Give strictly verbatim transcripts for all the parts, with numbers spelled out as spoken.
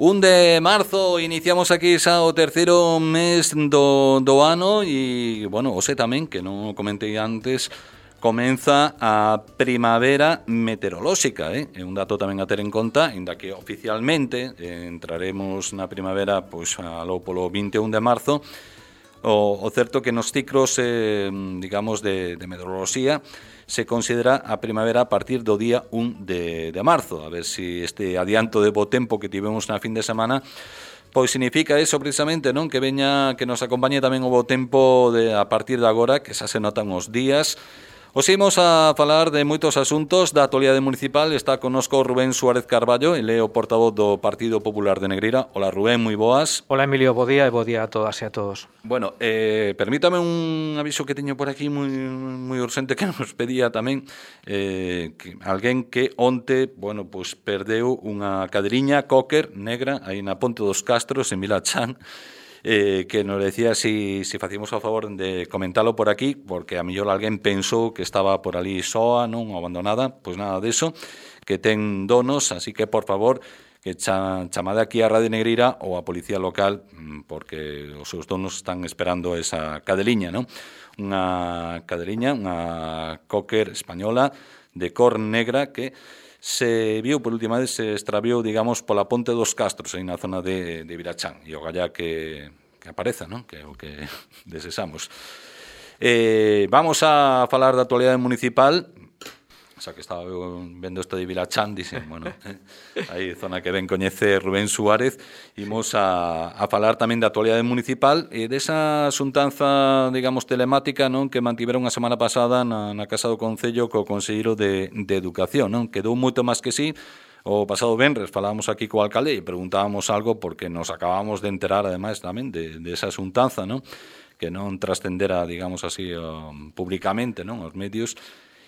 un de marzo, iniciamos aquí xa o terceiro mes do, do ano e, bueno, o sé tamén, que non o comentei antes, comeza a primavera meteorolóxica, eh? É un dato tamén a ter en conta, inda que oficialmente eh, entraremos na primavera pois aló polo vinte e un de marzo. O, o certo que nos ciclos, eh, digamos, de, de meteoroloxía se considera a primavera a partir do día un de, de marzo. A ver se si este adianto de bo tempo que tivemos na fin de semana pois significa eso precisamente, non? Que veña, que nos acompañe tamén o bo tempo de, a partir de agora, que xa se notan os días. Os imos a falar de moitos asuntos da actualidade municipal. Está connosco Rubén Suárez Carballo, ele é o portavoz do Partido Popular de Negreira. Hola Rubén, moi boas. Hola Emilio, bo día e bo día a todas e a todos. Bueno, eh, permítame un aviso que teño por aquí moi, moi urxente que nos pedía tamén eh, que alguén que onte, bueno, pues perdeu unha cadriña Cocker negra aí na Ponte dos Castros en Vilachán. Eh, que nos decía si, si facíamos o favor de comentalo por aquí, porque a mellor alguén pensou que estaba por ali soa, non, ou abandonada. Pois nada deso, que ten donos, así que por favor que cha, chamade aquí a Radio Negreira ou a Policía Local, porque os seus donos están esperando esa cadeliña, non? Unha cadeliña, unha Cocker española de cor negra que se viu por última vez, se extraviou, digamos, pola Ponte dos Castros, aí na zona de, de Vilachán, e o gallá que, que apareza, non? Que é o que desexamos. Eh, vamos a falar da actualidade municipal. Xa que estaba vendo isto de Vilachán, dixen, bueno, eh, aí zona que ben coñece Rubén Suárez, imos a, a falar tamén da actualidade municipal e desa xuntanza, digamos, telemática, non, que mantiveron a semana pasada na, na Casa do Concello co Conselleiro de, de Educación, non, quedou moito máis que sí. O pasado venres falábamos aquí co alcalde e preguntábamos algo porque nos acabamos de enterar, ademais, tamén de, de esa xuntanza, non, que non trascendera, digamos así, um, públicamente, non, os medios.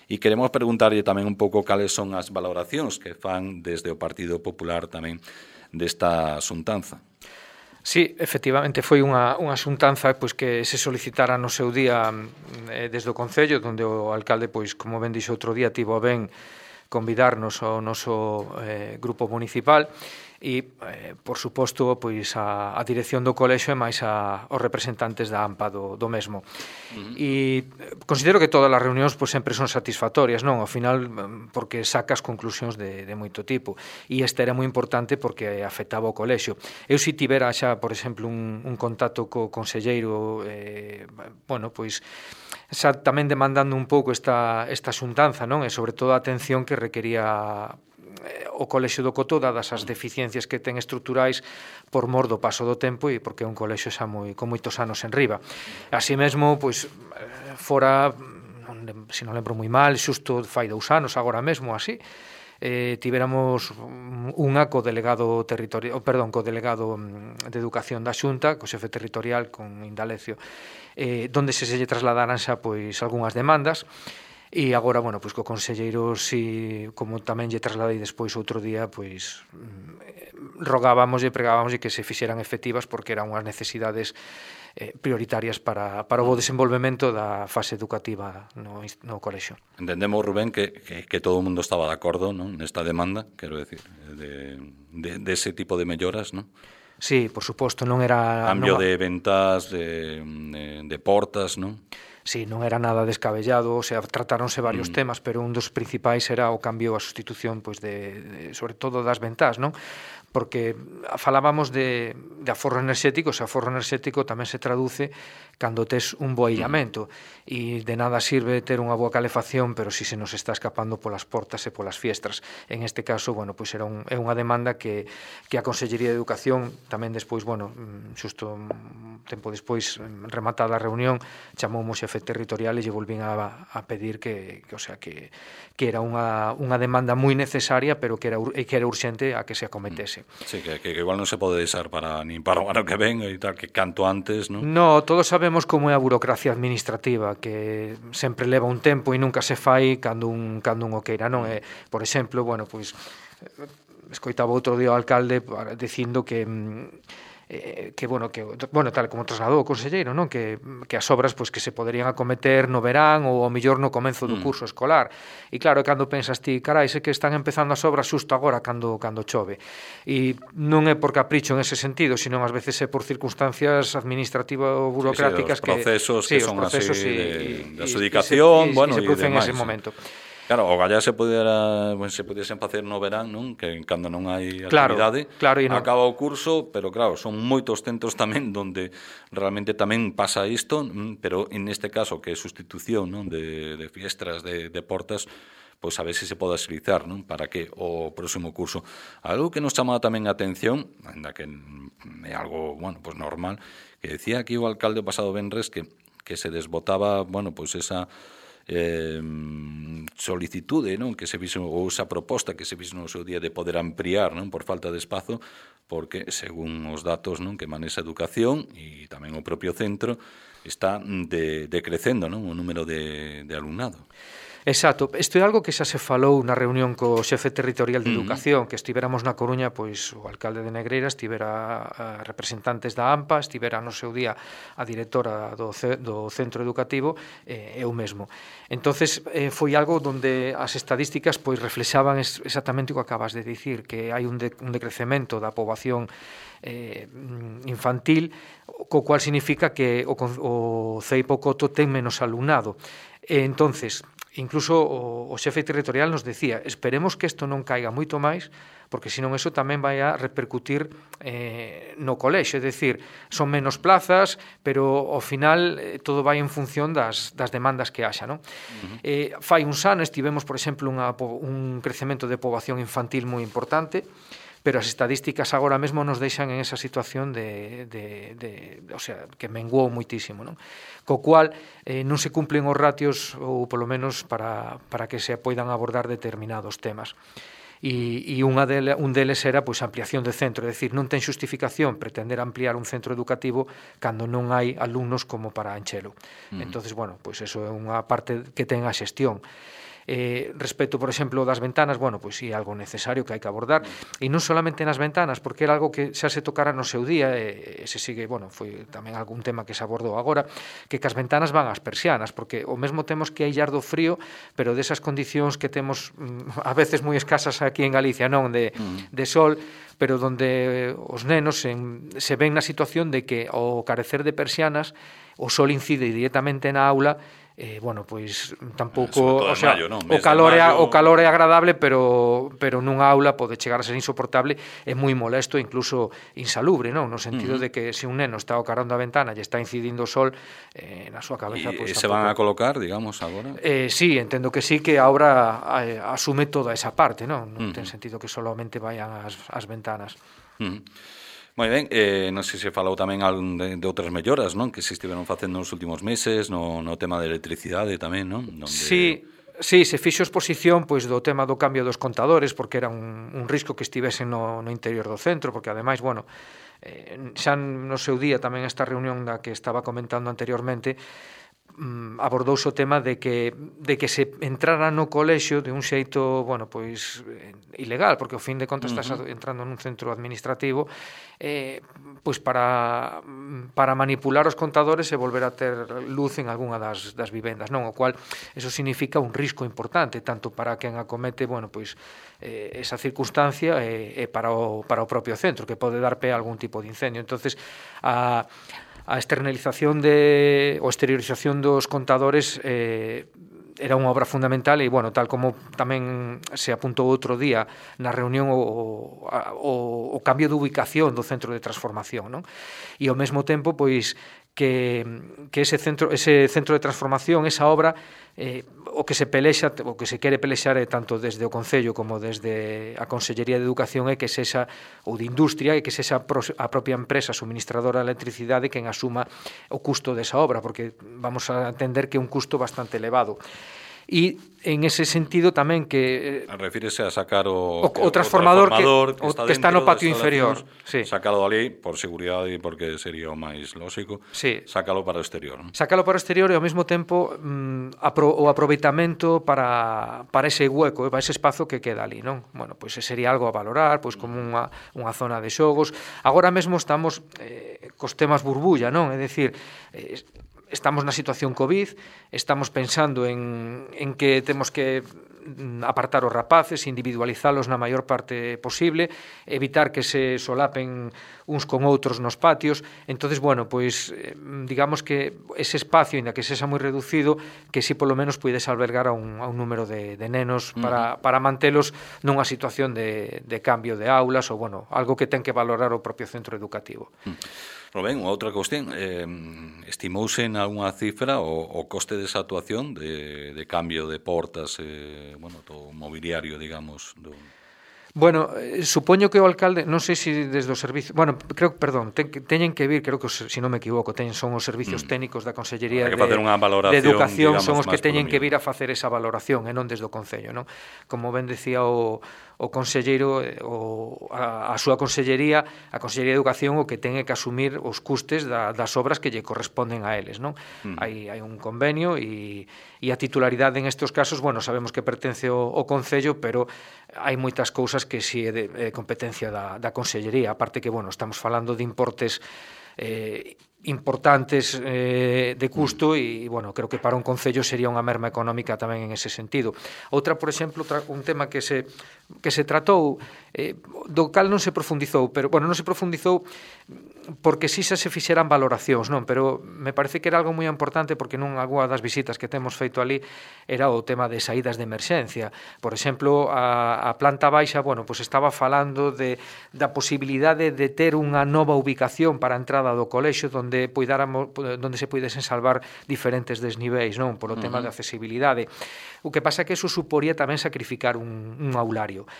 E queremos preguntarlle tamén un pouco cales son as valoracións que fan desde o Partido Popular tamén desta xuntanza. Sí, efectivamente foi unha, unha xuntanza pois, que se solicitara no seu día eh, desde o Concello, onde o alcalde, pois, como ben dixo outro día, tivo a ben convidarnos ao noso eh, grupo municipal e, eh, por suposto, pois a, a dirección do colexio e máis a, os representantes da AMPA do, do mesmo. Uh-huh. E considero que todas as reunións pois, sempre son satisfactorias, non? Ao final, porque sacas conclusións de, de moito tipo. E esta era moi importante porque afectaba o colexio. Eu si tivera xa, por exemplo, un, un contacto co conselleiro, eh, bueno, pois xa tamén demandando un pouco esta, esta xuntanza, non? E sobre todo a atención que requería o colexio do Cotó, dadas as deficiencias que ten estruturais por mor do paso do tempo e porque é un colexio xa moi, con moitos anos en riba. Así mesmo, pois, fora, non, se non lembro moi mal, xusto fai dous anos, agora mesmo, así, eh, tiveramos unha co delegado territorial, perdón, co delegado de Educación da Xunta, co xefe territorial, con Indalecio, eh, donde se se lle trasladaran xa, pois, algunhas demandas. E agora, bueno, pois co conselleiro, si, como tamén lle trasladei despois outro día, pois rogábamos e pregábamos e que se fixeran efectivas porque eran unhas necesidades eh, prioritarias para, para o bo desenvolvemento da fase educativa no, no colexio. Entendemos, Rubén, que, que, que todo o mundo estaba de acordo, non, nesta demanda, quero decir, de, de, de ese tipo de melloras, non? Sí, por suposto, non era... Cambio non... de ventas, de, de, de portas, non? Sí, non era nada descabellado, o sea, tratáronse varios mm. temas, pero un dos principais era o cambio, a sustitución, pois de, de sobre todo das ventás, non? Porque falábamos de, de aforro enerxético, o aforro enerxético tamén se traduce cando tes un bo aillamento e de nada sirve ter unha boa calefacción, pero si se nos está escapando polas portas e polas fiestras. En este caso, bueno, pois era un, é unha demanda que, que a Consellería de Educación tamén despois, bueno, xusto un tempo despois, rematada a reunión, chamoumo xefe territorial e lle volvín a, a pedir que, que, o sea, que, que era unha, unha demanda moi necesaria, pero que era, que era urxente a que se acometese. Sí, que, que igual non se pode deixar para nin para o ano que ven e tal, que canto antes, non? No, todos sabemos como é a burocracia administrativa, que sempre leva un tempo e nunca se fai cando un, cando un o queira, non? É, por exemplo, bueno, pois, escoitaba outro día o alcalde dicindo que eh, que, bueno, que, bueno, tal como trasladou o conselleiro, non? Que, que as obras pois, que se poderían acometer no verán ou ao mellor no comenzo do curso escolar. E claro, cando pensas ti, carai, sei que están empezando as obras xusto agora cando, cando chove. E non é por capricho en ese sentido, sino ás veces é por circunstancias administrativo-burocráticas sí, sí, os procesos que, que sí, son procesos así y, de, y, de adjudicación, y, y, bueno, y se produce en ese demais, momento. Claro, o gallá se pudera, bueno, se pudiesen facer no verán, non? Que cando non hai actividade, claro, claro, non... acaba o curso, pero claro, son moitos centros tamén onde realmente tamén pasa isto, pero en este caso que é sustitución, non? De, de fiestras, de, de portas, pois a ver se se pode agilizar, non? Para que o próximo curso. Algo que nos chama tamén a atención, ainda que é algo, bueno, pois normal, que decía aquí o alcalde o pasado venres que, que se desbotaba, bueno, pois esa eh, solicitude, non? Que se fixo, ou esa proposta que se fixo no seu día de poder ampliar, non? Por falta de espazo, porque según os datos, non? Que manexa educación e tamén o propio centro está de, decrecendo, non? O número de, de alumnado. Exacto, isto é algo que xa se falou na reunión co xefe territorial de Educación, uh-huh. que estivéramos na Coruña, pois o alcalde de Negreira, estivera a representantes da AMPA, estivera no seu día a directora do, do centro educativo, e eh, eu mesmo. Entonces eh, foi algo onde as estadísticas pois reflexaban exactamente o que acabas de dicir, que hai un, de, un decrecemento da poboación eh, infantil, co cual significa que o, o Ceipo Coto ten menos alumnado. E entonces, incluso o, o xefe territorial nos decía, esperemos que isto non caiga moito máis, porque senón eso tamén vai a repercutir eh, no colexio, é dicir, son menos plazas, pero ao final eh, todo vai en función das, das demandas que haxa, non? Uh-huh. eh, fai uns anos tivemos, por exemplo, unha, un crecemento de poboación infantil moi importante, pero as estadísticas agora mesmo nos deixan en esa situación de, de, de, de o sea, que menguou moitísimo, non? Co cual eh, non se cumplen os ratios ou polo menos para, para que se poidan abordar determinados temas. E, e unha dele, un deles era pois, a ampliación de centro, é dicir, non ten xustificación pretender ampliar un centro educativo cando non hai alumnos como para enchelo. Mm. Entonces, bueno, pois eso é unha parte que ten a xestión. Eh, respecto, por exemplo, das ventanas, bueno, pois sí, algo necesario que hai que abordar, e non solamente nas ventanas, porque era algo que xa se tocara no seu día, e, e se sigue, bueno, foi tamén algún tema que se abordou agora, que que as ventanas van ás persianas, porque o mesmo temos que aillar do frío, pero desas condicións que temos a veces moi escasas aquí en Galicia, non, de, de sol, pero donde os nenos en, se ven na situación de que ao carecer de persianas o sol incide directamente na aula. Eh, bueno, pois tampouco, o sea, maio, non? o calor é o calor é agradable, pero pero nunha aula pode chegar a ser insoportable, é moi molesto, incluso insalubre, non? No sentido uh-huh. de que se un neno está ao carón da ventana e está incidindo o sol eh, na súa cabeza, e pois se van a colocar, digamos, agora? Eh, sí, entendo que sí, que a obra eh, asume toda esa parte, non? Non uh-huh. ten sentido que solamente vayan as, as ventanas. Uh-huh. Moi ben, eh, non sei se falou tamén de, de outras melloras, non? Que se estiveron facendo nos últimos meses no, no tema de electricidade tamén, non? Donde... Sí, sí, se fixo exposición pois do tema do cambio dos contadores, porque era un, un risco que estivesen no, no interior do centro, porque ademais, bueno, eh, xa no seu día tamén esta reunión da que estaba comentando anteriormente, abordouse o tema de que de que se entrara no colexio de un xeito, bueno, pois ilegal, porque ao fin de contas estás uh-huh. entrando nun centro administrativo eh, pois para para manipular os contadores e volver a ter luz en algunha das, das vivendas, non? O cual eso significa un risco importante tanto para quen acomete, bueno, pois eh, esa circunstancia e, e para o para o propio centro, que pode dar pé a algún tipo de incendio. Entonces, a a externalización de ou exteriorización dos contadores eh, era unha obra fundamental e, bueno, tal como tamén se apuntou outro día na reunión o, o, o cambio de ubicación do centro de transformación, non? E ao mesmo tempo, pois, que, que ese centro ese centro de transformación, esa obra, eh, o que se pelexa, o que se quere pelexar é tanto desde o Concello como desde a Consellería de Educación é que sexa, ou de Industria, é que sexa a propia empresa suministradora de electricidade quen asuma o custo desa obra, porque vamos a entender que é un custo bastante elevado. e en ese sentido tamén que... Eh, refírese a sacar o, o, o transformador, o transformador que, que, está, que está no patio inferior. Sí. Sácalo ali por seguridade e porque sería o máis lógico. Sí. Sácalo para o exterior. ¿No? Sácalo para o exterior e ao mesmo tempo mm, apro, o aproveitamento para, para ese hueco, para ese espazo que queda ali, non? Bueno, pois pues sería algo a valorar, pois como unha, unha zona de xogos. Agora mesmo estamos eh, cos temas burbulla, non? É dicir, eh, estamos na situación COVID, estamos pensando en, en que temos que apartar os rapaces, individualizalos na maior parte posible, evitar que se solapen uns con outros nos patios. Entonces, bueno, pois digamos que ese espacio, ainda que sexa moi reducido, que si polo menos puides albergar a un, a un número de, de nenos para, uh-huh. para mantelos nunha situación de, de cambio de aulas ou, bueno, algo que ten que valorar o propio centro educativo. Uh-huh. Ben, outra cuestión, eh, estimouse en algunha cifra o, o coste desa actuación de, de cambio de portas, eh, bueno, do mobiliario, digamos, do... Bueno, eh, supoño que o alcalde, non sei se desde o servicio, bueno, creo, perdón, ten, teñen que vir, creo que, se si non me equivoco, ten, son os servicios mm. técnicos da Consellería de, de Educación, son os que teñen que vir a facer esa valoración, e non desde o Concello, non? Como ben decía o, o conselleiro, o, a, a súa consellería, a Consellería de Educación, o que ten que asumir os custes da, das obras que lle corresponden a eles, non? Mm. Hai, hai un convenio e, e a titularidade en estes casos, bueno, sabemos que pertence ao, ao Concello, pero hai moitas cousas que si é de, de competencia da, da Consellería, aparte que, bueno, estamos falando de importes eh, importantes eh, de custo e, bueno, creo que para un concello sería unha merma económica tamén en ese sentido. Outra, por exemplo, un tema que se que se tratou, eh, do cal non se profundizou, pero, bueno, non se profundizou porque si xa se fixeran valoracións, non? Pero me parece que era algo moi importante porque non algunha das visitas que temos feito ali era o tema de saídas de emerxencia. Por exemplo, a, a planta baixa, bueno, pues estaba falando de, da posibilidade de ter unha nova ubicación para a entrada do colexio donde poidáramos, donde se puidesen salvar diferentes desniveis, non? Por o tema uh-huh. de accesibilidade. O que pasa é que eso suporía tamén sacrificar un, un aulario.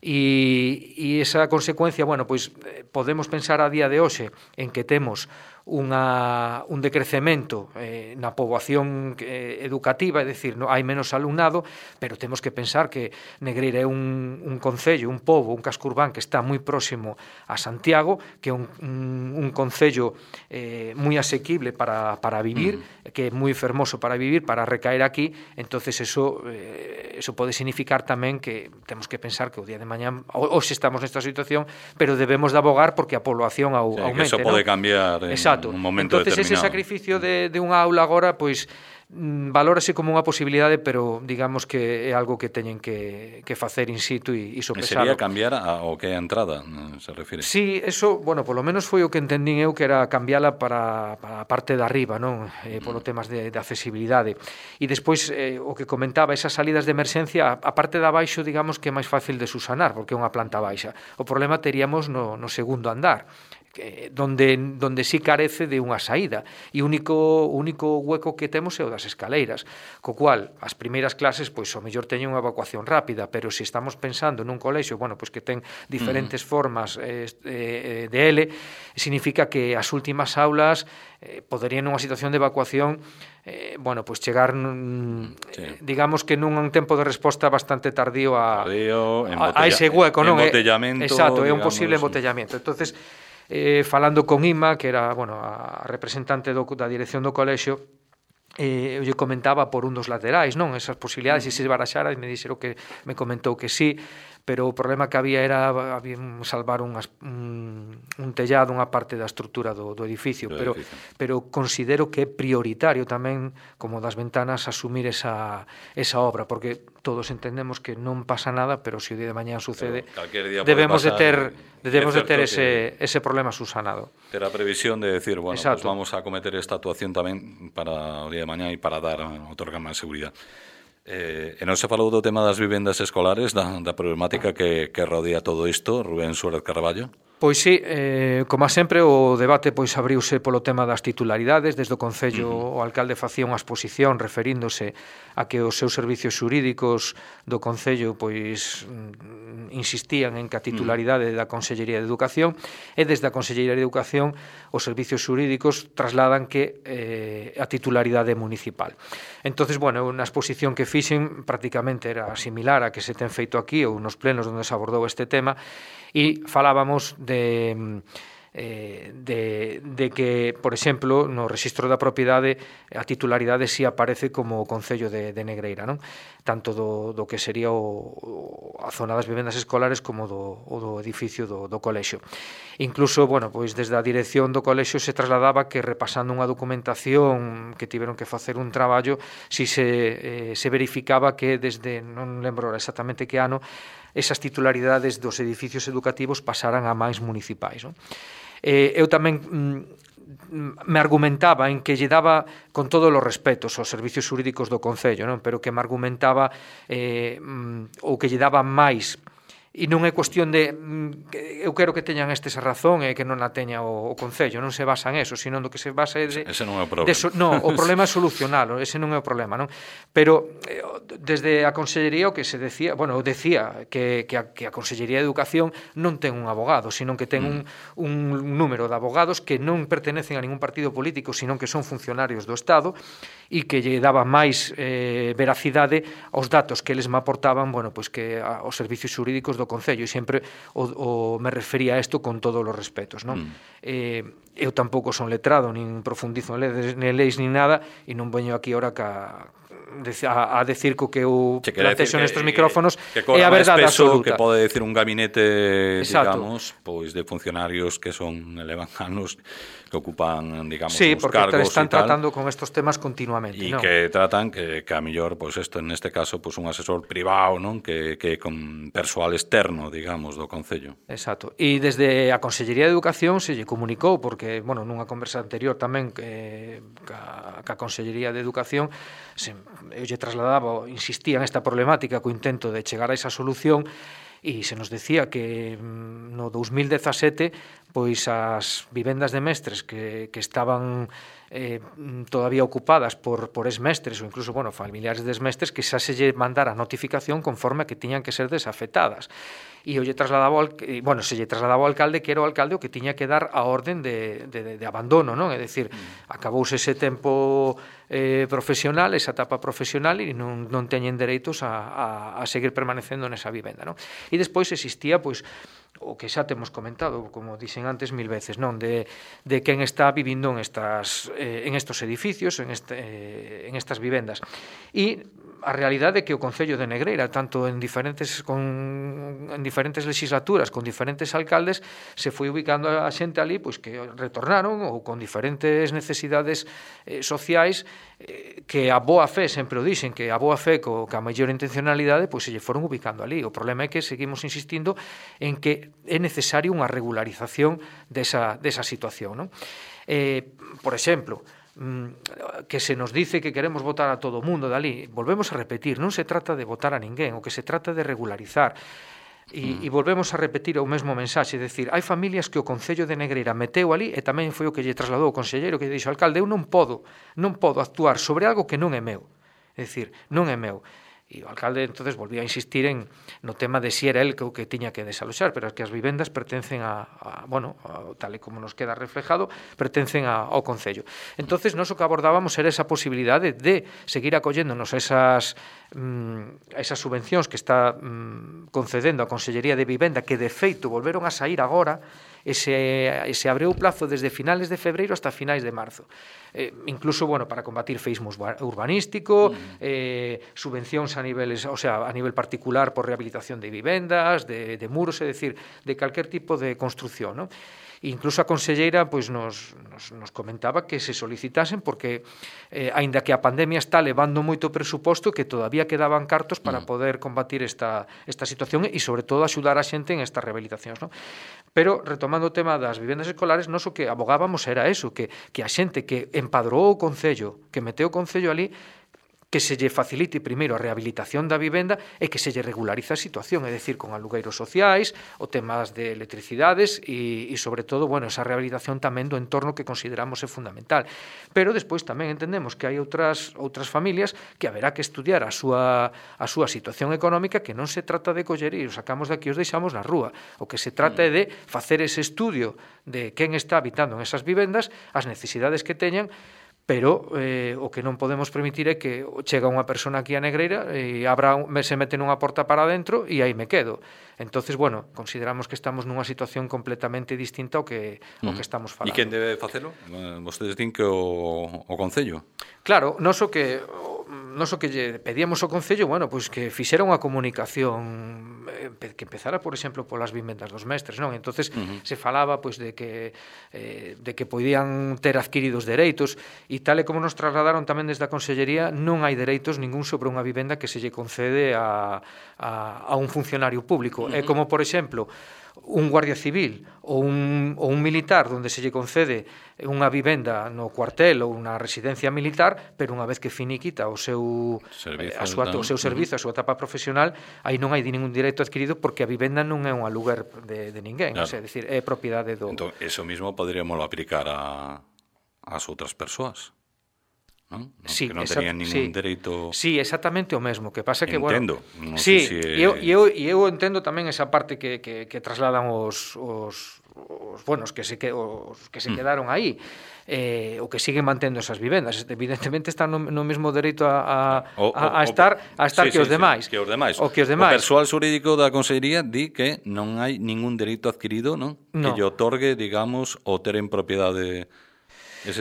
E, e esa consecuencia, bueno, pois podemos pensar a día de hoxe en que temos unha, un decrecemento eh, na poboación eh, educativa, é dicir, no, hai menos alumnado, pero temos que pensar que Negreira é un, un concello, un pobo, un casco urbán que está moi próximo a Santiago, que é un, un, un concello eh, moi asequible para, para vivir, mm. que é moi fermoso para vivir, para recaer aquí. Entonces eso, eh, eso pode significar tamén que temos que pensar que o día de mañán, hoxe estamos nesta situación, pero debemos de abogar porque a población au, sí, aumente, que eso pode ¿no? cambiar en Exacto. un momento entonces, determinado. Ese sacrificio de, de unha aula agora, pois, valórase como unha posibilidade, pero digamos que é algo que teñen que, que facer in situ e, e sopesalo. Sería cambiar a, o que é a entrada, se refire? Sí, eso, bueno, polo menos foi o que entendín eu, que era cambiala para, para a parte de arriba, non? Eh, polo temas de, de accesibilidade. E despois, eh, o que comentaba, esas salidas de emerxencia, a, a parte de abaixo, digamos que é máis fácil de susanar, porque é unha planta baixa. O problema teríamos no, no segundo andar, donde donde sí carece de unha saída, e o único único hueco que temos é o das escaleiras, co cual as primeiras clases pois o mellor teñen unha evacuación rápida, pero se estamos pensando nun colexio, bueno, pois que ten diferentes uh-huh. formas eh, eh, de L, significa que as últimas aulas eh, poderían nunha situación de evacuación eh, bueno, pois chegar nun, sí. eh, digamos que nun un tempo de resposta bastante tardío a, tardío, a, a ese hueco, non? Embotellamento, exacto, é un digamos, posible embotellamiento. Entonces, Eh, falando con Ima, que era, bueno, a representante do, da dirección do colexio, eh, eu lle comentaba por un dos laterais, non? Esas posibilidades, e se baraxara, e me dixeron que me comentou que sí, pero o problema que había era había salvar unhas, un, un tellado, unha parte da estrutura do, do edificio, do pero, edificio. Pero considero que é prioritario tamén, como das ventanas, asumir esa, esa obra, porque todos entendemos que non pasa nada, pero se o día de mañán sucede, debemos de ter, debemos de ter ese, ese problema susanado. Ter a previsión de decir, bueno, pues vamos a cometer esta actuación tamén para o día de mañán e para dar, otorgar máis seguridade. Eh, e non se falou do tema das vivendas escolares, da, da problemática que, que rodea todo isto, Rubén Suárez Carballo? Pois sí, eh, como sempre o debate pois abriuse polo tema das titularidades. Desde o Concello uh -huh. o alcalde facía unha exposición referíndose a que os seus servicios xurídicos do Concello pois insistían en que a titularidade da Consellería de Educación, e desde a Consellería de Educación os servicios xurídicos trasladan que eh, a titularidade municipal. Entonces, bueno, unha exposición que fixen prácticamente era similar a que se ten feito aquí ou nos plenos onde se abordou este tema, e falábamos de, eh, de, de que, por exemplo, no rexistro da propiedade a titularidade si aparece como o Concello de, de Negreira, non? Tanto do, do que sería o, a zona das vivendas escolares como do, o do edificio do, do colexio. Incluso, bueno, pois desde a dirección do colexio se trasladaba que, repasando unha documentación que tiveron que facer un traballo, si se, eh, se verificaba que desde, non lembro exactamente que ano, esas titularidades dos edificios educativos pasaran a máis municipais, non? Eh, eu tamén mm, me argumentaba en que lle daba, con todos os respetos, aos servicios xurídicos do Concello, non? Pero que me argumentaba eh, mm, ou que lle daba máis. E non é cuestión de eu quero que teñan estes a razón e que non a teña o, o Concello, non se basa en eso, sino do que se basa é de, ese non é o problema. De so, no, o problema é solucionalo, ese non é o problema, non? Pero eh, desde a Consellería o que se decía, bueno, eu decía que, que, a, que a Consellería de Educación non ten un abogado, sino que ten mm. un, un número de abogados que non pertenecen a ningún partido político, sino que son funcionarios do Estado, e que lle daba máis eh, veracidade aos datos que eles me aportaban, bueno, pois que a, os servicios xurídicos do Concello, e sempre o, o, me refería a isto con todos os respetos, non? Mm. Eh, eu tampouco son letrado, nin profundizo en leis, nin leis, nin nada, e non veño aquí ahora ca, a, a decir co que eu plantexo nestes micrófonos que, que é a verdade absoluta. Que pode decir un gabinete, Exacto. digamos, pois de funcionarios que son elevanos, que ocupan, digamos, sí, uns porque cargos están e tal, tratando con estos temas continuamente, e ¿no? que tratan que, que a mellor, pois isto en este caso, pois un asesor privado, non? Que, que con persoal externo, digamos, do Concello. Exacto. E desde a Consellería de Educación se lle comunicou, porque, bueno, nunha conversa anterior tamén que ca, ca Consellería de Educación se, eu lle trasladaba, insistía en esta problemática co intento de chegar a esa solución, e se nos decía que no dous mil dezasete pois as vivendas de mestres que, que estaban eh, todavía ocupadas por, por esmestres ou incluso, bueno, familiares de esmestres, que xa se lle mandara a notificación conforme a que tiñan que ser desafectadas. E eu lle trasladaba ao, bueno, se lle trasladaba ao alcalde que era o alcalde o que tiña que dar a orden de, de, de abandono, non? É dicir, mm. acabouse ese tempo eh, profesional, esa etapa profesional, e non, non teñen dereitos a, a, a seguir permanecendo nesa vivenda, non? E despois existía, pois, o que xa temos comentado, como dixen antes mil veces, non, de, de quen está vivindo en estas eh, en estos edificios, en este eh, en estas vivendas. E a realidade é que o Concello de Negreira, tanto en diferentes con en diferentes legislaturas, con diferentes alcaldes, se foi ubicando a xente ali, pois que retornaron ou con diferentes necesidades eh, sociais, eh, que a boa fe, sempre o dixen, que a boa fe co, ca maior intencionalidade, pois se lle foron ubicando ali. O problema é que seguimos insistindo en que é necesario unha regularización desa, desa situación, non? Eh, por exemplo, que se nos dice que queremos votar a todo o mundo dali, volvemos a repetir, non se trata de votar a ninguén, o que se trata de regularizar. E, e volvemos a repetir o mesmo mensaxe, é dicir, hai familias que o Concello de Negreira meteu ali, e tamén foi o que lle trasladou o conselleiro, que dixo, alcalde, eu non podo, non podo actuar sobre algo que non é meu, é dicir, non é meu. E o alcalde entonces volvía a insistir en no tema de si era el que o que tiña que desaloxar, pero é que as vivendas pertencen a, a bueno, a, tal e como nos queda reflejado, pertencen a, ao Concello. Entonces, nós o que abordábamos era esa posibilidade de seguir acolléndonos a esas, mm, a esas subvencións que está mm, concedendo a Consellería de Vivenda, que de feito volveron a sair agora, e se, e se abreu o plazo desde finales de febreiro hasta finais de marzo. Eh, incluso, bueno, para combatir feísmo urbanístico, mm. eh, subvencións a niveles, o sea, a nivel particular por rehabilitación de vivendas, de, de muros, é dicir, de calquer tipo de construcción, non? Incluso a conselleira pois, nos, nos, nos comentaba que se solicitasen porque, eh, aínda que a pandemia está levando moito presuposto, que todavía quedaban cartos para poder combatir esta, esta situación e, sobre todo, axudar a xente en estas rehabilitacións, non? Pero, retomando o tema das vivendas escolares, nós o que abogábamos era eso, que, que a xente que empadrou o Concello, que meteu o Concello ali, que se lle facilite primeiro a rehabilitación da vivenda e que se lle regulariza a situación, é dicir, con alugueiros sociais, o temas de electricidades e, e sobre todo, bueno, esa rehabilitación tamén do entorno que consideramos é fundamental. Pero despois tamén entendemos que hai outras outras familias que haberá que estudiar a súa a súa situación económica, que non se trata de coller e os sacamos de aquí e os deixamos na rúa. O que se trata é de facer ese estudio de quen está habitando en esas vivendas, as necesidades que teñan, pero eh, o que non podemos permitir é que chega unha persona aquí a Negreira e abra, se mete nunha porta para dentro e aí me quedo. Entonces, bueno, consideramos que estamos nunha situación completamente distinta ao que, mm. ao que estamos falando. E quen debe facelo? Vostedes din que o, o Concello? Claro, non so que... Nos o que lle pedíamos ao Concello, bueno, pois que fixera unha comunicación que empezara, por exemplo, polas vivendas dos mestres, non? Entonces uh-huh. se falaba pois de que eh, de que podían ter adquiridos dereitos e tal e como nos trasladaron tamén desde a Consellería, non hai dereitos ningún sobre unha vivenda que se lle concede a, a, a un funcionario público. Uh-huh. É como, por exemplo, un guardia civil ou un, ou un militar onde se lle concede unha vivenda no cuartel ou unha residencia militar, pero unha vez que finiquita o seu servizo, a súa, o seu servizo, a súa etapa profesional, aí non hai ningún dereito adquirido porque a vivenda non é un aluguer de, de ninguén, claro. O sea, é dicir, é propiedade do... Entón, eso mismo poderíamos aplicar a as outras persoas. Non? Non, sí, que non exact, tenían ningún sí, dereito. Sí, exactamente o mesmo, que pasa que, entendo, bueno, non sí, sei se e eu, eu, eu entendo tamén esa parte que, que, que trasladan os, os, os buenos que se, que, os que se mm. quedaron aí, eh, o que siguen mantendo esas vivendas, evidentemente están no, no mesmo dereito a, a, o, a, a estar a estar sí, que, sí, os demais. Sí, que os demais. O que os demais. O persoal xurídico da Consellería di que non hai ningún dereito adquirido, non? No. Que lle otorgue, digamos, o ter en propiedade.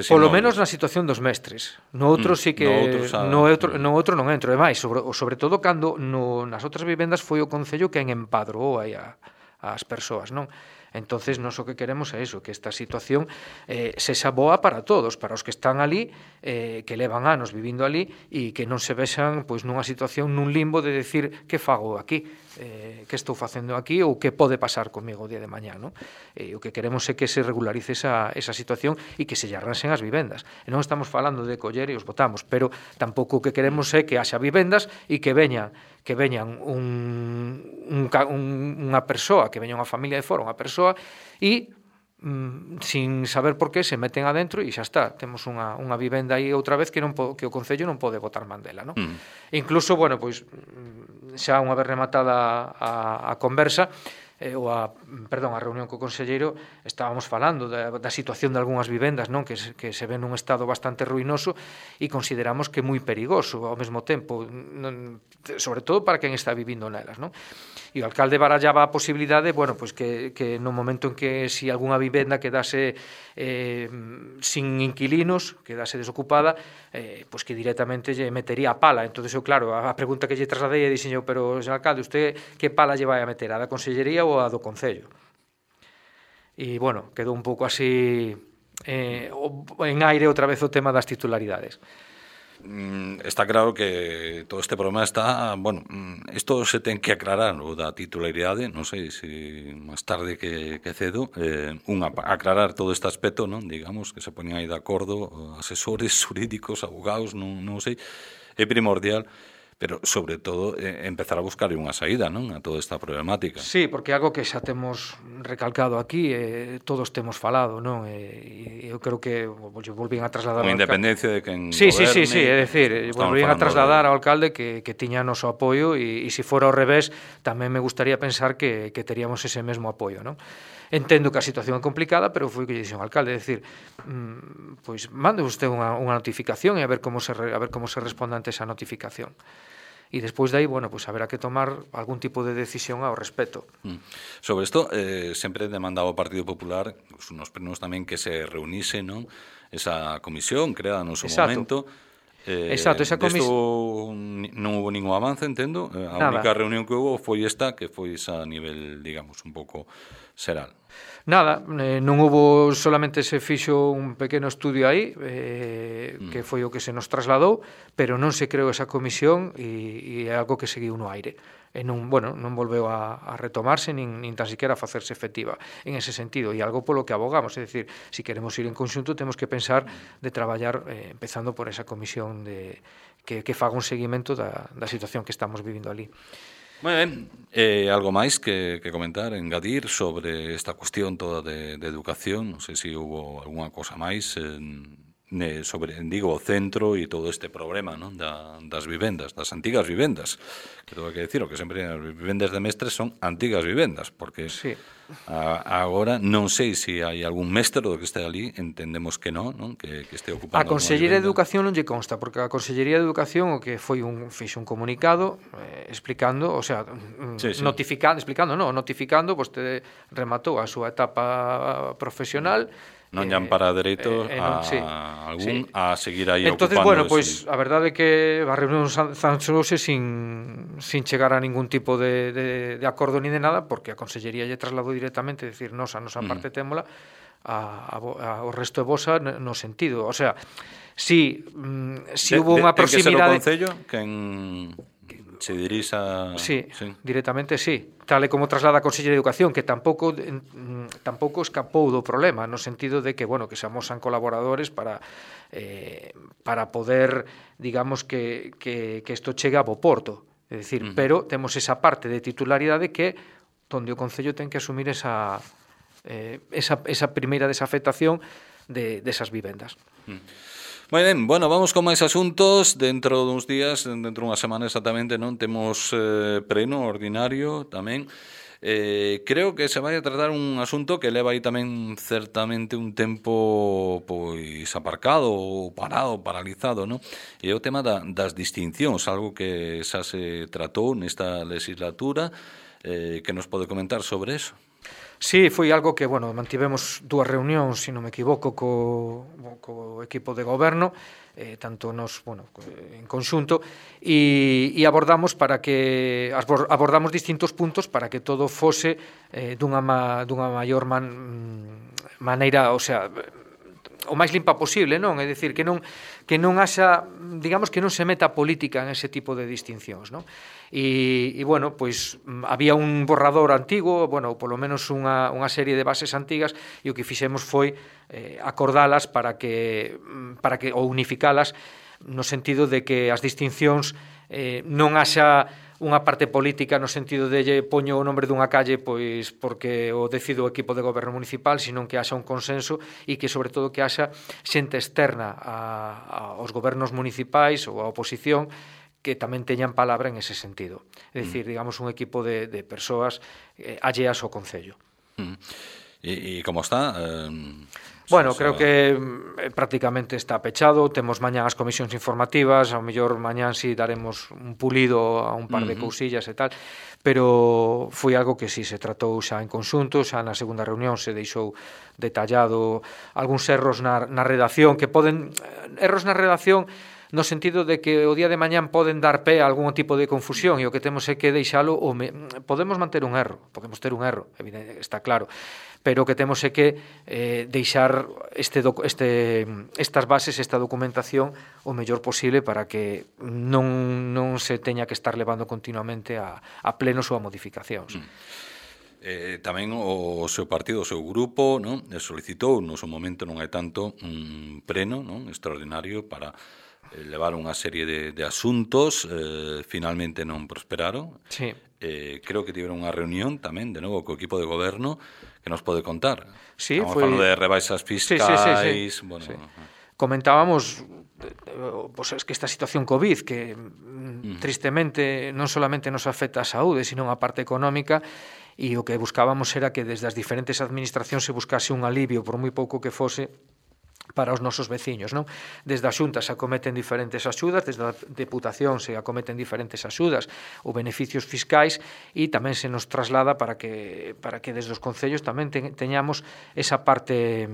Polo menos na situación dos mestres. No outro mm, sí que no outro, xa... no outro no outro non entro, e máis, sobre sobre todo cando no nas outras vivendas foi o Concello quen empadroou aí a as persoas, non? Entonces, nós o que queremos é iso, que esta situación eh, sexa boa para todos, para os que están ali, eh, que levan anos vivindo ali e que non se vexan pois, nunha situación, nun limbo de decir que fago aquí, eh, que estou facendo aquí ou que pode pasar comigo o día de mañá, non? Eh, o que queremos é que se regularice esa, esa situación e que se lle arranxen as vivendas. E non estamos falando de coller e os botamos, pero tampouco o que queremos é que haxa vivendas e que veñan que veñan un, un, un, unha persoa, que veña unha familia de fora, unha persoa, e mm, sin saber por qué se meten adentro e xa está, temos unha, unha vivenda aí outra vez que non po, que o Concello non pode botar mandela, non? Mm. Incluso, bueno, pois xa unha vez rematada a, a conversa, eh, ou a, perdón, a reunión co conselleiro, estábamos falando da, da situación de algunhas vivendas, non, que se, que se ven nun estado bastante ruinoso e consideramos que é moi perigoso ao mesmo tempo, non, sobre todo para quen está vivindo nelas, non? E o alcalde barallaba a posibilidade, bueno, pois que, que no momento en que si algunha vivenda quedase eh, sin inquilinos, quedase desocupada, eh, pois que directamente lle metería a pala. Entonces, eu, claro, a, a pregunta que lle trasladei e dixen eu, pero, señor alcalde, usted que pala lle vai a meter, a da Consellería ou a do Concello? E, bueno, quedou un pouco así eh, en aire outra vez o tema das titularidades. Está claro que todo este problema está, bueno, isto se ten que aclarar o da titularidade, non sei se máis tarde que, que cedo, eh, unha, aclarar todo este aspecto, non, digamos, que se poñen aí de acordo asesores xurídicos, abogados, non, non sei, é primordial, pero sobre todo eh, empezar a buscar unha saída, non, a toda esta problemática. Sí, porque é algo que xa temos recalcado aquí, eh, todos temos falado, non? E eu creo que volvín a trasladar con independencia de quen sí, goberne. Sí, sí, sí, é dicir, volvín a trasladar ao alcalde que, que tiña noso apoio e, e se fora ao revés, tamén me gustaría pensar que, que teríamos ese mesmo apoio, non? Entendo que a situación é complicada, pero foi o que lle dixo o alcalde, é dicir, mmm, pois mande usted unha, unha notificación e a ver como se a ver como se responde ante esa notificación. E despois de aí, bueno, pues haberá que tomar algún tipo de decisión ao respecto. Mm. Sobre isto, eh, sempre demandaba o Partido Popular, nos plenos tamén, que se reunise, non, esa comisión creada no seu momento. Eh, Exacto, esa comisión non hubo ningún avance, entendo. A Nada. Única reunión que hubo foi esta, que foi esa a nivel, digamos, un pouco xeral. Nada, eh, non hubo, solamente se fixo un pequeno estudio aí, eh, mm. que foi o que se nos trasladou, pero non se creou esa comisión e, e é algo que seguiu no aire. e non, bueno, non volveu a, a retomarse nin, nin tan siquiera a facerse efectiva en ese sentido, e algo polo que abogamos, é dicir, se si queremos ir en conxunto temos que pensar de traballar eh, empezando por esa comisión de, que, que faga un seguimento da, da situación que estamos vivindo ali. Moi ben, eh, algo máis que, que comentar, engadir sobre esta cuestión toda de, de educación, non sei se hubo algunha cosa máis eh, sobre, digo, o centro e todo este problema, non? Da, das vivendas, das antigas vivendas, que tengo que decir, o que sempre as vivendas de mestres son antigas vivendas, porque sí. a, agora non sei se hai algún mestre do que este ali, entendemos que non, non? Que, que este ocupando a Consellería de Educación non lle consta, porque a Consellería de Educación o que foi un fixe un comunicado eh, explicando, o sea, sí, sí. notificando, explicando, non, notificando, vostede rematou a súa etapa profesional. Non lle ampara dereito eh, eh, non, a sí, algún sí. a seguir aí Entonces, ocupando. Entón, bueno, pois pues, a verdade é que a reunión zanxouse sin, sin chegar a ningún tipo de, de, de acordo ni de nada, porque a Consellería lle trasladou directamente, decir, nos a nosa mm. parte témola a, a, a, o resto de vosa no sentido, o sea, si, si de, hubo unha proximidade... Ten que ser o Concello quen se dirixa... Sí, sí, directamente sí. Tal e como traslada a Consellería de Educación, que tampouco tampouco escapou do problema, no sentido de que, bueno, que se amosan colaboradores para eh, para poder, digamos, que, que, que isto chegue a bo porto. É dicir, uh -huh. pero temos esa parte de titularidade que onde o Concello ten que asumir esa, eh, esa, esa primeira desafectación de, desas vivendas. Uh -huh. Moi ben, bueno, vamos con máis asuntos. Dentro duns días, dentro dunha semana exactamente, non temos eh, pleno ordinario tamén. Eh, creo que se vai a tratar un asunto que leva aí tamén certamente un tempo pois aparcado ou parado, paralizado, non? E é o tema da, das distincións, algo que xa se tratou nesta legislatura. Eh, que nos pode comentar sobre eso? Sí, foi algo que, bueno, mantivemos dúas reunións, se non me equivoco, co, co equipo de goberno, eh, tanto nos, bueno, en conxunto, e, e abordamos para que abordamos distintos puntos para que todo fose eh, dunha, ma, dunha maior man, maneira, o sea, o máis limpa posible, non? É dicir, que non que non haxa, digamos, que non se meta política en ese tipo de distincións, non? E, e bueno, pois había un borrador antigo, bueno, polo menos unha, unha serie de bases antigas, e o que fixemos foi eh, acordalas para que, para que ou unificalas no sentido de que as distincións eh, non haxa unha parte política no sentido de lle poño o nombre dunha calle pois porque o decido o equipo de goberno municipal, senón que haxa un consenso e que sobre todo que haxa xente externa a, aos gobernos municipais ou a oposición que tamén teñan palabra en ese sentido. É dicir, mm. digamos, un equipo de, de persoas eh, alleas ao Concello. Mm. E, e como está? Eh... Bueno, creo que eh, prácticamente está pechado. Temos mañán as comisións informativas, ao mellor mañán si daremos un pulido a un par de uh -huh. cousillas e tal, pero foi algo que si se tratou xa en conxunto, xa na segunda reunión se deixou detallado algúns erros na, na redacción, que poden, erros na redacción no sentido de que o día de mañán poden dar pé a algún tipo de confusión e o que temos é que deixalo, ou me, podemos manter un erro, podemos ter un erro, evidente, está claro, pero o que temos é que eh, deixar este, este, estas bases, esta documentación o mellor posible para que non, non se teña que estar levando continuamente a, a plenos ou a modificacións. Mm. Eh, tamén o seu partido, o seu grupo, non, solicitou no seu momento, non hai tanto, un pleno, non, extraordinario para levar unha serie de, de asuntos, eh, finalmente non prosperaron. Sí. Eh, creo que tiveron unha reunión tamén, de novo, co equipo de goberno, que nos pode contar. Sí, Estamos foi... falando de rebaixas fiscais, sí, sí, sí, sí. Bueno, sí. Comentábamos pues, es que esta situación COVID, que mm. tristemente non solamente nos afecta a saúde, sino a parte económica, e o que buscábamos era que desde as diferentes administracións se buscase un alivio, por moi pouco que fose, para os nosos veciños, non? Desde a Xunta se acometen diferentes axudas, desde a Deputación se acometen diferentes axudas ou beneficios fiscais e tamén se nos traslada para que para que desde os concellos tamén teñamos esa parte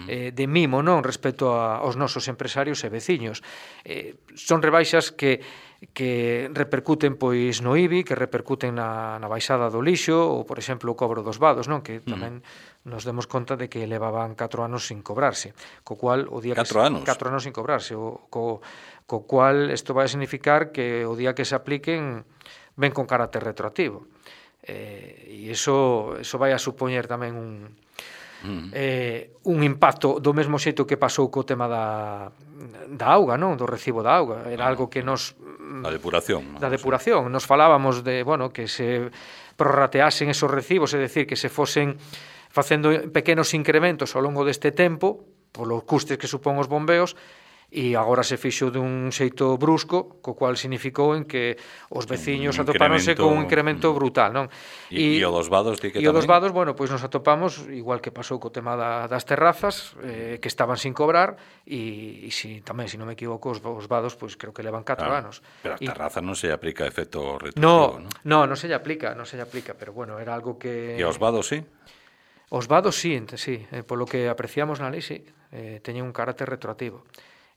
eh, de mimo, non, respecto a, aos nosos empresarios e veciños. Eh, son rebaixas que que repercuten pois no I B I, que repercuten na, na baixada do lixo ou, por exemplo, o cobro dos vados, non? Que tamén mm. nos demos conta de que levaban catro anos sin cobrarse, co cual o día catro que anos? catro anos sin cobrarse, o, co, co cual isto vai a significar que o día que se apliquen ven con carácter retroactivo. Eh, e iso, iso vai a supoñer tamén un, mm. eh, un impacto do mesmo xeito que pasou co tema da, da auga, non? Do recibo da auga. Era ah, algo que nos... Da depuración. Da depuración. Nos falábamos de, bueno, que se prorrateasen esos recibos, é dicir, que se fosen facendo pequenos incrementos ao longo deste tempo, polos custes que supón os bombeos, e agora se fixo dun xeito brusco, co cual significou en que os veciños atopáronse con un incremento brutal, non? E, e o dos vados, di que tamén? E o dos vados, bueno, pois nos atopamos, igual que pasou co tema da, das terrazas, eh, que estaban sin cobrar, e, e si, tamén, se si non me equivoco, os, os vados, pois creo que levan catro claro, anos. Pero a terraza non se aplica efecto retroactivo, no, non? No, non se lle aplica, non se lle aplica, pero bueno, era algo que... E os vados, sí? Os vados, sí, sí, eh, polo que apreciamos na lei, sí, eh, teñen un carácter retroactivo.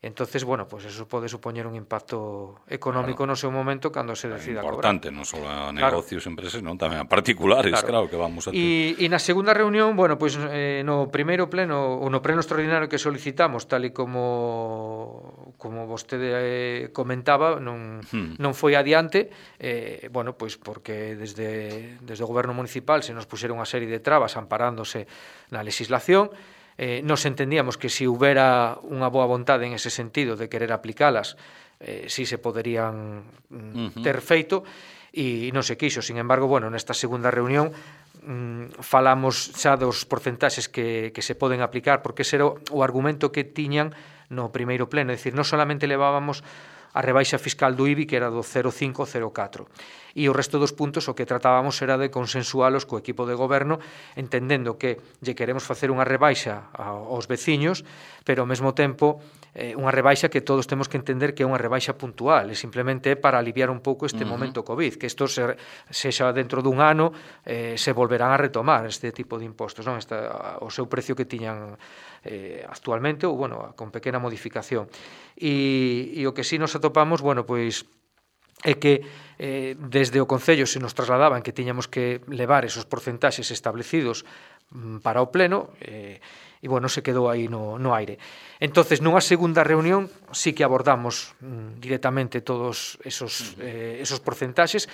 Entonces, bueno, pues eso pode supoñer un impacto económico claro. no seu momento cando se decida cobrar. Importante, non só a negocios, claro. empresas, non tamén a particulares, claro, claro que vamos a ter. E, e na segunda reunión, bueno, pues eh, no primeiro pleno, ou no pleno extraordinario que solicitamos, tal e como como vostede eh, comentaba, non hmm. non foi adiante, eh, bueno, pois pues porque desde desde o goberno municipal se nos puxeron unha serie de trabas amparándose na legislación. Eh, nos entendíamos que se houbera unha boa vontade en ese sentido de querer aplicalas, eh, si se poderían mm, uh-huh. ter feito, e non se quixo. Sin embargo, bueno, nesta segunda reunión mm, falamos xa dos porcentaxes que, que se poden aplicar, porque ese era o argumento que tiñan no primeiro pleno, é dicir, non solamente levábamos a rebaixa fiscal do I B I, que era do cero coma cinco ao cero coma catro. E o resto dos puntos o que tratábamos era de consensualos co equipo de goberno, entendendo que lle queremos facer unha rebaixa aos veciños, pero ao mesmo tempo eh, unha rebaixa que todos temos que entender que é unha rebaixa puntual, e simplemente é para aliviar un pouco este uh-huh. momento COVID, que isto se, sexa dentro dun ano eh, se volverán a retomar este tipo de impostos, non? Esta, o seu precio que tiñan eh, actualmente, ou bueno, con pequena modificación. E, e o que sí nos atopamos, bueno, pois é que eh, desde o Concello se nos trasladaban que tiñamos que levar esos porcentaxes establecidos mm, para o Pleno, eh, e bueno, se quedou aí no, no aire. Entonces, nunha segunda reunión sí que abordamos mm, directamente todos esos, eh, esos porcentaxes.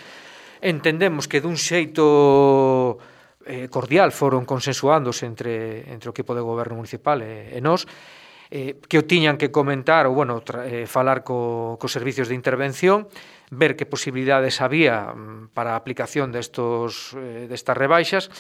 Entendemos que dun xeito eh, cordial foron consensuándose entre, entre o equipo de goberno municipal e, e nós, eh, que o tiñan que comentar ou, bueno, tra, eh, falar co, cos servicios de intervención, ver que posibilidades había para a aplicación destos, eh, destas rebaixas,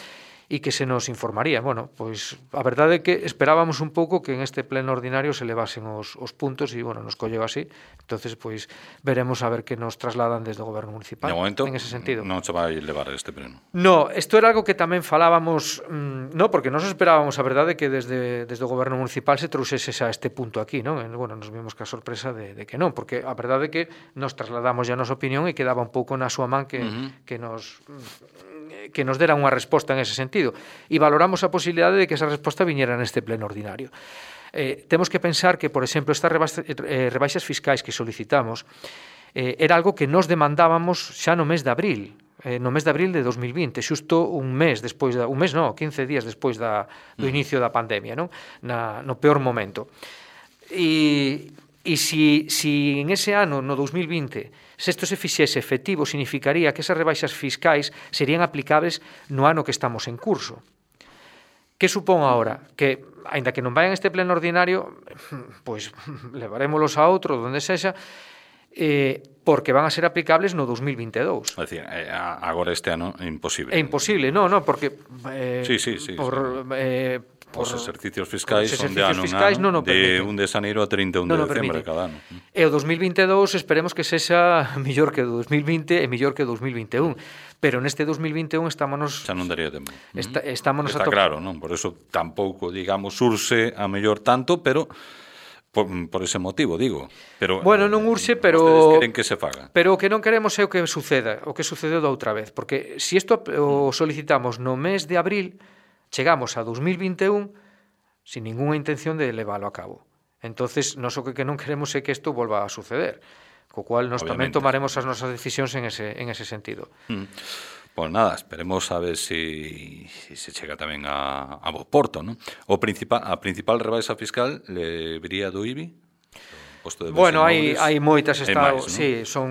e que se nos informaría. Bueno, pois a verdade é que esperábamos un pouco que en este pleno ordinario se levasen os, os puntos e, bueno, nos colleu así. Entonces, pois, veremos a ver que nos trasladan desde o goberno municipal. De momento, en ese sentido. Non se vai levar este pleno. No, isto era algo que tamén falábamos, mmm, no, porque nos esperábamos, a verdade, que desde, desde o goberno municipal se trouxese a este punto aquí, non? E, bueno, nos vimos que a sorpresa de, de que non, porque a verdade é que nos trasladamos ya a nosa opinión e quedaba un pouco na súa man que, uh-huh. que nos... que nos dera unha resposta en ese sentido, e valoramos a posibilidade de que esa resposta viñera neste pleno ordinario. Eh, temos que pensar que, por exemplo, estas rebaixas, eh, rebaixas fiscais que solicitamos eh, era algo que nos demandábamos xa no mes de abril, eh, no mes de abril de dos mil vinte, xusto un mes despois da, un mes non, quince días despois da, do inicio da pandemia, non? Na, no peor momento. E, e si, si en ese ano, no dos mil vinte, se isto se fixese efectivo, significaría que esas rebaixas fiscais serían aplicables no ano que estamos en curso. Que supón agora? Que, aínda que non vayan este pleno ordinario, pois levarémolos a outro, donde sexa, eh, porque van a ser aplicables no dos mil vinte e dous. É dicir, agora este ano é imposible. É imposible, non, non, porque eh, sí, sí, sí, por... sí. Eh, Por os exercicios fiscais son de ano fiscais en ano, non de un de xaneiro a trinta e un de decembro cada ano. E o dos mil vinte e dous esperemos que sexa mellor que o dos mil vinte e mellor que o dos mil vinte e un. Pero neste dos mil vinte e un estámonos... Xa non daría tempo. Está, estámonos Está a to... claro, non? Por eso tampouco, digamos, urxe a mellor tanto, pero... Por, por ese motivo, digo. Pero, bueno, non urxe, pero... Vostedes queren que se faga. Pero o que non queremos é o que suceda, o que sucedeu da outra vez. Porque se isto o solicitamos no mes de abril, chegamos a dos mil vinte e un sin ninguna intención de leválo a cabo. Entonces, nós o que non queremos é que isto volva a suceder, co cual nos tamén tomaremos as nosas decisións en ese, en ese sentido. Mm. Pois nada, esperemos a ver si, si se chega tamén a, a bo porto, non? O principal, a principal rebaixa fiscal le viría do I B I? posto de Bueno, Bensemoures, hai, hai moitas estado, máis, non? sí, son,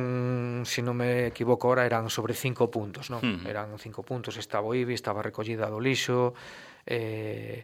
se non me equivoco ahora, eran sobre cinco puntos, non? Hmm. Eran cinco puntos, estaba o I B I, estaba a recollida do lixo, eh,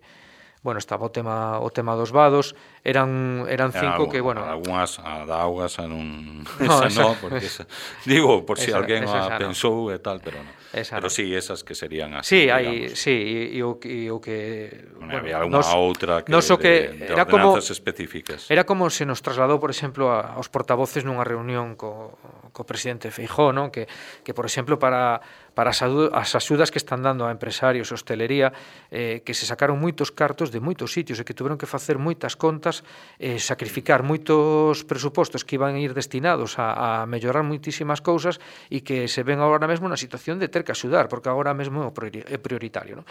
bueno, estaba o tema o tema dos vados, eran eran cinco que, bueno, algunhas a da augas a non No, esa esa- no, porque esa, digo, por si esa- alguén esa a xa no. pensou e tal, pero non. Esa Pero non. sí, esas que serían así, Sí, hai, digamos. sí, e, e o, e o que Bueno, había algunha nos- outra que nos o que de, de era como ordenanzas específicas. Era como se nos trasladou, por exemplo, a, aos portavoces nunha reunión co, co presidente Feijóo, non? Que, que, por exemplo, para, para as, adu- as axudas que están dando a empresarios, hostelería, eh, que se sacaron moitos cartos de moitos sitios e que tuveron que facer moitas contas, eh, sacrificar moitos presupostos que iban a ir destinados a, a mellorar moitísimas cousas e que se ven agora mesmo na situación de ter que axudar, porque agora mesmo é o priori- é prioritario, non?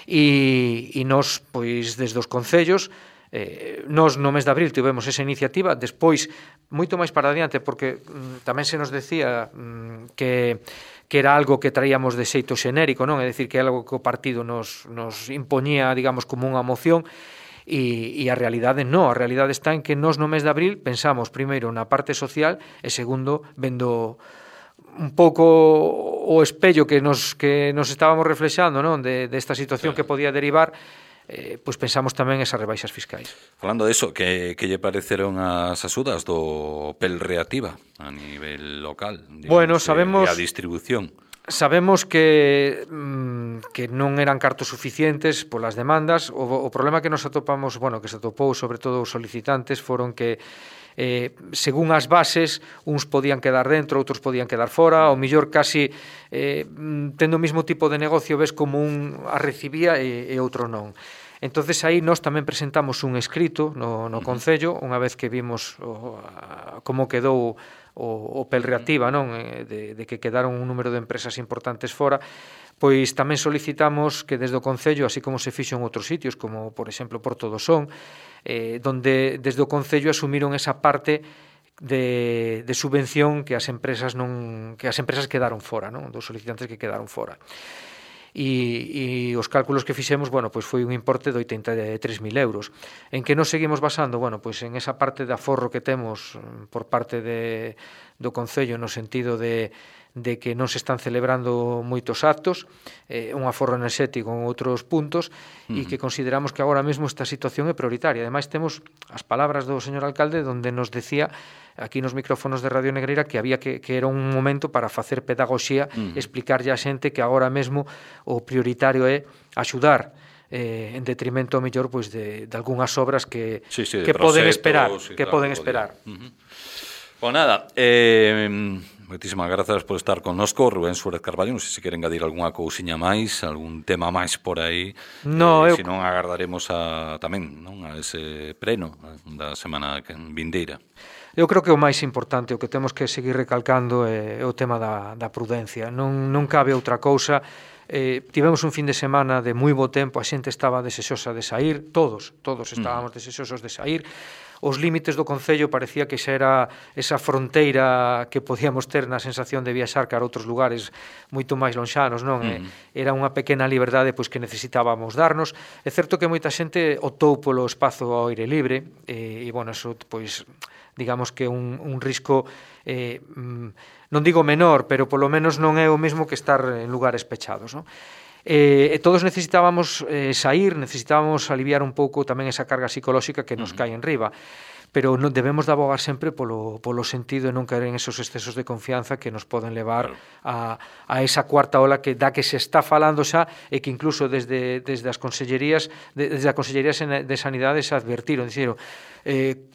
E, e nos, pois, desde os concellos, Eh, nos no mes de abril tivemos esa iniciativa, despois moito máis para adiante, porque mm, tamén se nos decía mm, que que era algo que traíamos de xeito xenérico, non? É dicir, que é algo que o partido nos, nos impoñía, digamos, como unha moción, e, e a realidade non, a realidade está en que nos no mes de abril pensamos primeiro na parte social e segundo vendo un pouco o espello que nos, que nos estábamos reflexando, non? De, desta situación que podía derivar, eh, pois pensamos tamén esas rebaixas fiscais. Falando de eso, que, que lle pareceron as axudas do P E L Reactiva a nivel local? Digamos, Bueno, sabemos- E a distribución. Sabemos que mm, que non eran cartos suficientes polas demandas. O, o problema que nos atopamos, bueno, que se atopou sobre todo os solicitantes foron que eh, según as bases, uns podían quedar dentro, outros podían quedar fora, o millor casi eh, tendo o mesmo tipo de negocio ves como un a recibía e, e outro non. Entonces aí nós tamén presentamos un escrito no, no Concello, unha vez que vimos o, a, como quedou o, o P E L Reactiva, non? De, de que quedaron un número de empresas importantes fora, pois tamén solicitamos que desde o Concello, así como se fixo en outros sitios, como por exemplo Porto do Son, eh, donde desde o Concello asumiron esa parte de, de subvención que as empresas non que as empresas quedaron fora, non? Dos solicitantes que quedaron fora. E, e os cálculos que fixemos, bueno, pois foi un importe de oitenta e tres mil euros. En que nos seguimos basando? Bueno, pois en esa parte de aforro que temos por parte de, do Concello no sentido de de que non se están celebrando moitos actos, eh, un aforro enerxético en outros puntos, uh-huh. e que consideramos que agora mesmo esta situación é prioritaria. Ademais, temos as palabras do señor alcalde donde nos decía aquí nos micrófonos de Radio Negreira que había que, que era un momento para facer pedagogía, uh-huh. explicarlle a xente que agora mesmo o prioritario é axudar eh, en detrimento mellor pois de, de algunhas obras que, sí, sí, que poden esperar, sí, que claro, poden podía. esperar. Uh-huh. Pues nada, eh, moitísimas grazas por estar connosco, Rubén Suárez Carballo. Non sei se queren engadir algunha cousiña máis, algún tema máis por aí. No, eh, eu... Se non agardaremos a, tamén, non, a ese preno da semana vindeira. Eu creo que o máis importante, o que temos que seguir recalcando é, é o tema da, da prudencia. Non, non cabe outra cousa. Eh, tivemos un fin de semana de moi bo tempo, a xente estaba desexosa de sair, todos, todos estábamos desexosos de sair. Os límites do Concello parecía que xa era esa fronteira que podíamos ter na sensación de viaxar cara a outros lugares moito máis lonxanos, non? Mm. Era unha pequena liberdade pois que necesitábamos darnos. É certo que moita xente optou polo espazo ao aire libre e, e bueno, eso pois digamos que un, un risco eh, non digo menor, pero polo menos non é o mesmo que estar en lugares pechados, non? E, e todos necesitábamos eh, sair, necesitábamos aliviar un pouco tamén esa carga psicolóxica que nos cae en riba, pero non debemos de abogar sempre polo, polo sentido de non caer en esos excesos de confianza que nos poden levar a, a esa cuarta ola que da que se está falando xa e que incluso desde, desde as consellerías desde a Consellería de Sanidade se advertiron, dixeron eh,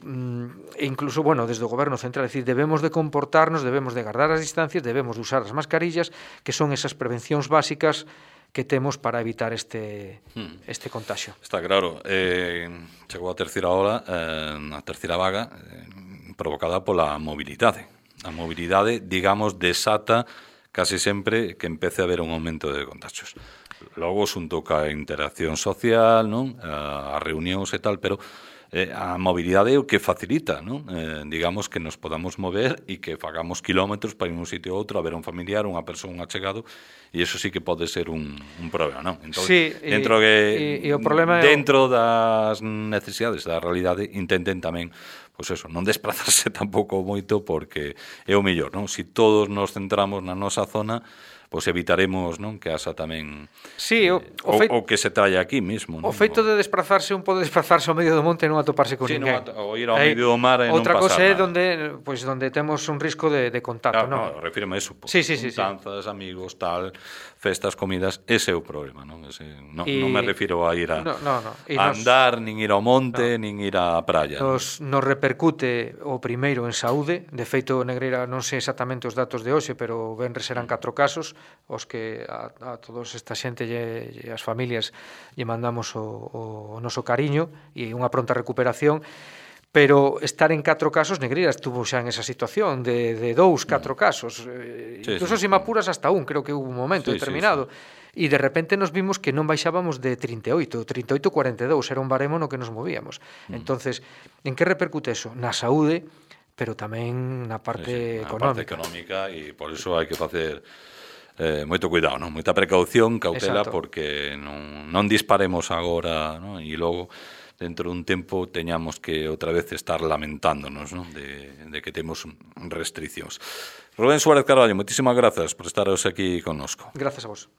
e incluso, bueno, desde o Goberno Central, decir, debemos de comportarnos, debemos de guardar as distancias, debemos de usar as mascarillas, que son esas prevencións básicas que temos para evitar este hmm. este contagio. Está claro, eh, chegou a terceira ola, eh, a terceira vaga, eh, provocada pola mobilidade. A mobilidade, digamos, desata casi sempre que empece a haber un aumento de contagios. Logo, xunto ca interacción social, non? As reunións e tal, pero eh, a mobilidade é o que facilita, non? Eh, digamos que nos podamos mover e que fagamos kilómetros para ir un sitio a outro a ver un familiar, unha persoa, un achegado, e iso sí que pode ser un, un problema, non? Entón, sí, dentro e, que e, e o problema dentro é o... das necesidades da realidade intenten tamén pois eso, non desplazarse tampouco moito porque é o mellor, non? Si todos nos centramos na nosa zona, pois evitaremos, non, que haxa tamén sí, o, eh, o, feito, o que se traia aquí mismo, non? O feito de desplazarse un pode desplazarse ao medio do monte e non atoparse con sí, ninguén. No, ou ir ao medio do mar e non outra pasar cosa é nada. donde, pois, donde temos un risco de, de contacto, claro, non? No, refírome a eso, pois, sí, sí, sí, juntanzas, sí. amigos, tal, festas, comidas, ese é o problema, non? Ese, non, y... non me refiro a ir a, no, no, no. a nos... andar, nin ir ao monte, no. nin ir á praia. Nos, non? nos repercute o primeiro en saúde, de feito, Negreira, non sei exactamente os datos de hoxe, pero venres serán catro casos, os que a, a todos esta xente e, e as familias lle mandamos o, o noso cariño e unha pronta recuperación, pero estar en catro casos, Negreira estuvo xa en esa situación de, de dous, catro casos, sí, incluso sí, se me apuras hasta un, creo que hubo un momento sí, determinado, sí, sí. E de repente nos vimos que non baixábamos de trinta e oito, trinta e oito, cuarenta e dous, era un baremo no que nos movíamos. Mm. Entonces, en que repercute eso? Na saúde, pero tamén na parte sí, sí, económica. Na parte económica, e por iso hai que facer Eh, moito cuidado, non? Moita precaución, cautela, exacto. Porque non, non disparemos agora, non? E logo dentro dun tempo teñamos que outra vez estar lamentándonos, non? De, de que temos restriccións. Rubén Suárez Carballo, moitísimas grazas por estar hoxe aquí connosco. Grazas a vos.